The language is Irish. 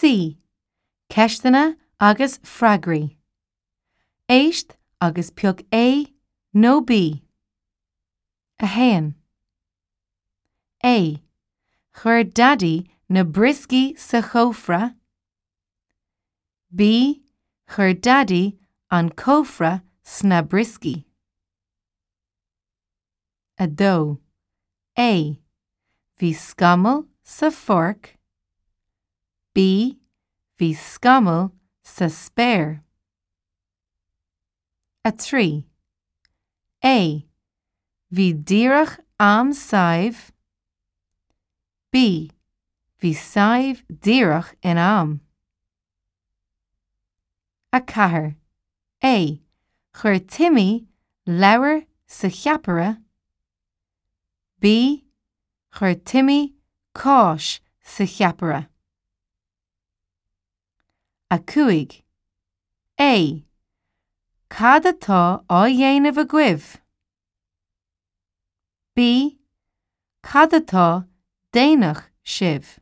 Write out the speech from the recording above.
C. Ceisteanna agus freagraí. Éist agus pioc A nó B. 1. A. Chuir Daidí na brioscaí sa chófra. B. Chuir Daidí an cófra sna brioscaí. 2. A. Bhí scamall sa pháirc. B. Bhí scamall sa spéir. 3. A. Bhí díreach am Sadhbh. B. Bhí Sadhbh díreach in am. 4. A. Chuir Timmy leabhar sa cheapaire. B. Chuir Timmy cáis sa cheapaire. 5. A. Cad atá á dhéanamh agaibh? B. Cad atá déanadh sibh?